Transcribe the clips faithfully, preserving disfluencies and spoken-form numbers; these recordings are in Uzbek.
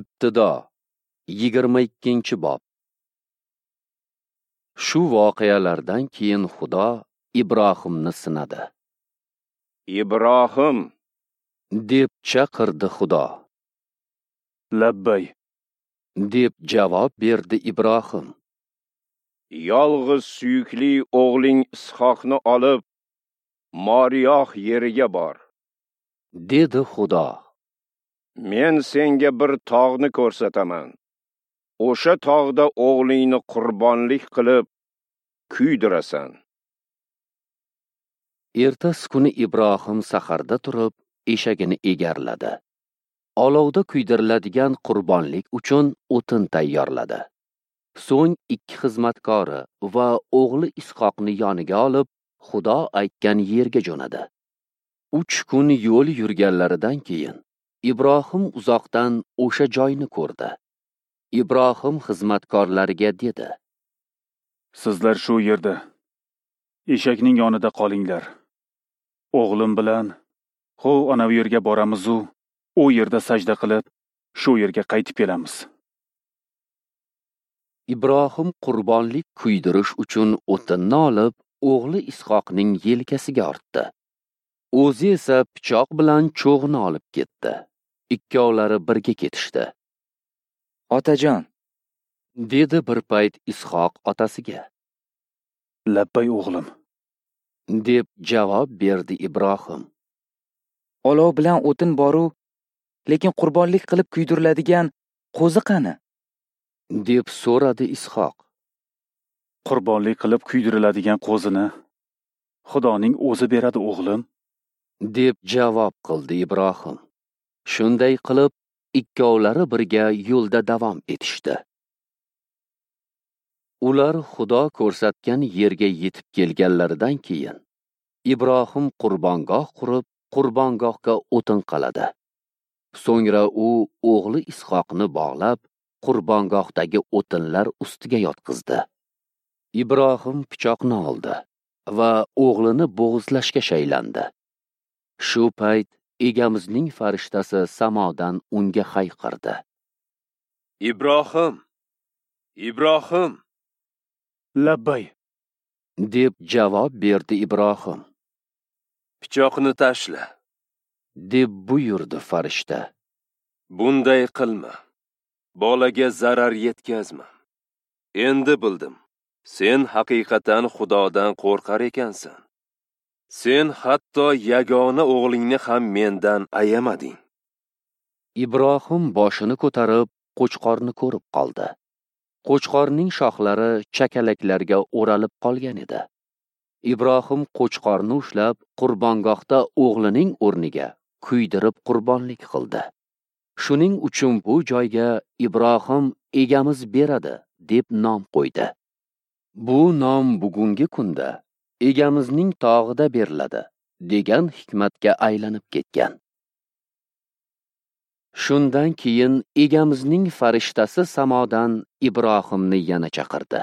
Ibtido yigirma ikkinchi bob. Shu voqealardan keyin Xudo Ibrohimni sinadi. Ibrohim, deb chaqirdi Xudo. Labbay, deb javob berdi Ibrohim. Yolg'iz suyukli o'g'ling Ishoqni olib Moriyoh yeriga bor, dedi Xudo. Men senga bir tog'ni ko'rsataman. O'sha tog'da o'g'lingni qurbonlik qilib kuydirasan. Ertasi kuni Ibrohim saharda turib eshagini egarladi. Olovda kuydiriladigan qurbonlik uchun o'tin tayyorladi. So'ng ikki xizmatkori va o'g'li Ishoqni yoniga olib, Xudo aytgan yerga jo'nadi. Uch kun yo'l yurganlaridan keyin Ibrohim uzoqdan o'sha joyni ko'rdi. Ibrohim xizmatkorlariga dedi: Sizlar shu yerda eshakning yonida qolinglar. O'g'lim bilan xo ana u yerga boramiz-u, u yerda sajda qilib, shu yerga qaytib kelamiz. Ibrohim qurbonlik kuydirish uchun o'tinni olib, o'g'li Ishoqning yelkasiga ortdi. O'zi esa pichoq bilan cho'g'ni olib ketdi. Ikkovlari birga ketishdi. Otajon, dedi bir payt Ishoq otasiga. Labbay o'g'lim, deb javob berdi Ibrohim. Olov bilan o'tin boru, lekin qurbonlik qilib kuydiriladigan qo'zi qani? deb so'radi Ishoq. Qurbonlik qilib kuydiriladigan qo'zini Xudoning o'zi beradi o'g'lim, deb javob qildi Ibrohim. Shunday qilib ikkovlari birga yo'lda davom etishdi. Ular Xudo ko'rsatgan yerga yetib kelganlaridan keyin Ibrohim qurbongoh qurib, qurbongohga o'tin qaladi. So'ngra u o'g'li Ishoqni bog'lab, qurbongohdagi o'tinlar ustiga yotqizdi. Ibrohim pichoqni oldi va o'g'lini bo'g'izlashga shaylandi. Shu payt Egamizning farishtasi samodan unga hayqirdi: Ibrohim, Ibrohim! Labbay, deb javob berdi Ibrohim. Pichoqni tashla, deb buyurdi farishta. Bunday qilma. Bolaga zarar yetkazma. Endi bildim, sen haqiqatan Xudodan qo'rqar ekansan. Sen hatto yagona o'g'lingni ham mendan ayamading. Ibrohim boshini ko'tarib, qo'chqorni ko'rib qoldi. Qo'chqorning shoxlari chakalaklarga o'ralib qolgan edi. Ibrohim qo'chqorni ushlab, qurbongohda o'g'lining o'rniga kuydirib qurbonlik qildi. Shuning uchun bu joyga Ibrohim egamiz beradi deb nom qo'ydi. Bu nom bugungi kunda Egamizning tog'ida beriladi degan hikmatga aylanib ketgan. Shundan keyin Egamizning farishtasi samodan Ibrohimni yana chaqirdi.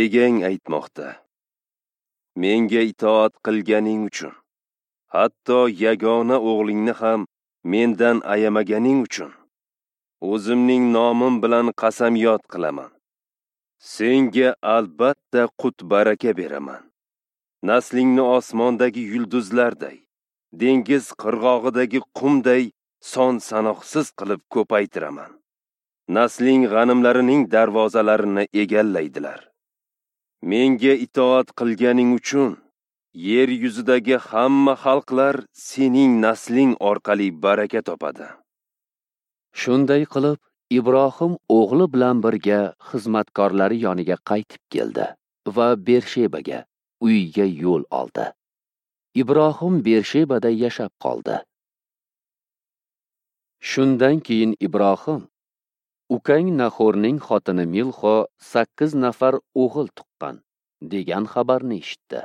Egang aytmoqda: Menga itoat qilganing uchun, hatto yagona o'g'lingni ham mendan ayamaganing uchun, o'zimning nomim bilan qasamyod qilaman. Senga albatta qut baraka beraman. Naslingni osmondagi yulduzlarday, dengiz qirg'og'idagi qumday son sanoqsiz qilib ko'paytiraman. Nasling g'animlarining darvozalarini egallaydilar. Menga itoat qilganing uchun yer yuzidagi hamma xalqlar sening nasling orqali baraka topadi. Shunday qilib Ibrohim o'g'li bilan birga xizmatkorlari yoniga qaytib keldi va Bershebaga, uyiga yo'l oldi. Ibrohim Bershebada yashab qoldi. Shundan keyin Ibrohim: Ukang Nahorning xotini Milxo sakkiz nafar o'g'il tuqqan, degan xabarni eshitdi.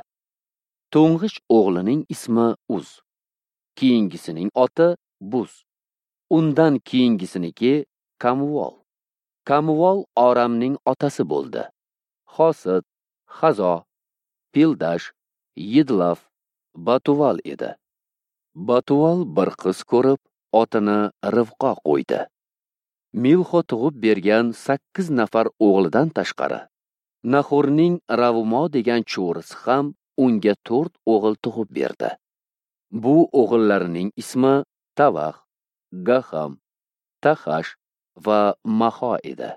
To'ng'ich o'g'lining ismi Uz, keyingisining oti Buz, undan keyingisiniki Kamuvol. Kamuvol Oramning otasi bo'ldi. Xosid, Xazo, Pildash, Yidlaf, Batuval edi. Batuval bir qiz ko'rib, otini Rivqo qo'ydi. Milxo tug'ib bergan sakkiz nafar o'g'lidan tashqari, Nahorning Ravumo degan cho'risi ham unga to'rt o'g'il tug'ib berdi. Bu o'g'illarining ismi Tavax, Gaham, Tahash va Maho edi.